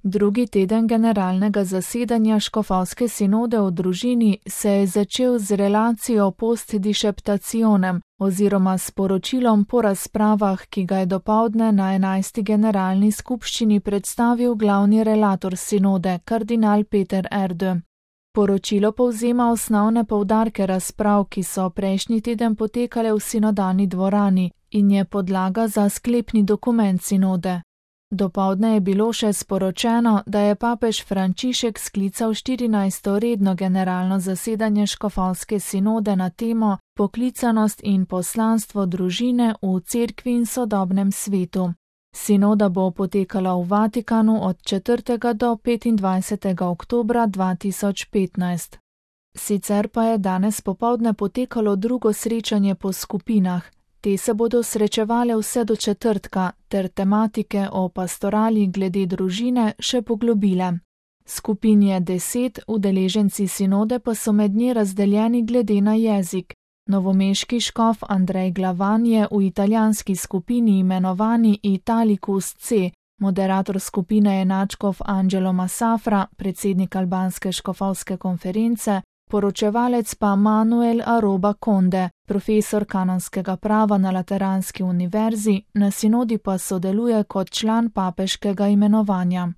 Drugi teden generalnega zasedanja škofovske sinode o družini se je začel z relacijo post disceptationem oziroma s poročilom po razpravah, ki ga je dopoldne na 11. generalni skupščini predstavil glavni relator sinode, kardinal Peter Erdő. Poročilo povzema osnovne poudarke razprav, ki so prejšnji teden potekale v sinodalni dvorani in je podlaga za sklepni dokument sinode. Dopoldne je bilo še sporočeno, da je papež Frančišek sklical 14. redno generalno zasedanje škofovske sinode na temo Poklicanost in poslanstvo družine v cerkvi in sodobnem svetu. Sinoda bo potekala v Vatikanu od 4. do 25. oktobra 2015. Sicer pa je danes popoldne potekalo drugo srečanje po skupinah. Te se bodo srečevale vse do četrtka, ter tematike o pastorali glede družine še poglobile. Skupin je 10, udeleženci sinode pa so med nje razdeljeni glede na jezik. Novomeški škof Andrej Glavan je v italijanski skupini imenovani Italicus C, moderator skupine je nadškof Angelo Masafra, predsednik albanske škofovske konference, poročevalec pa Manuel Aroba Conde, profesor kanonskega prava na Lateranski univerzi, na sinodi pa sodeluje kot član papeškega imenovanja.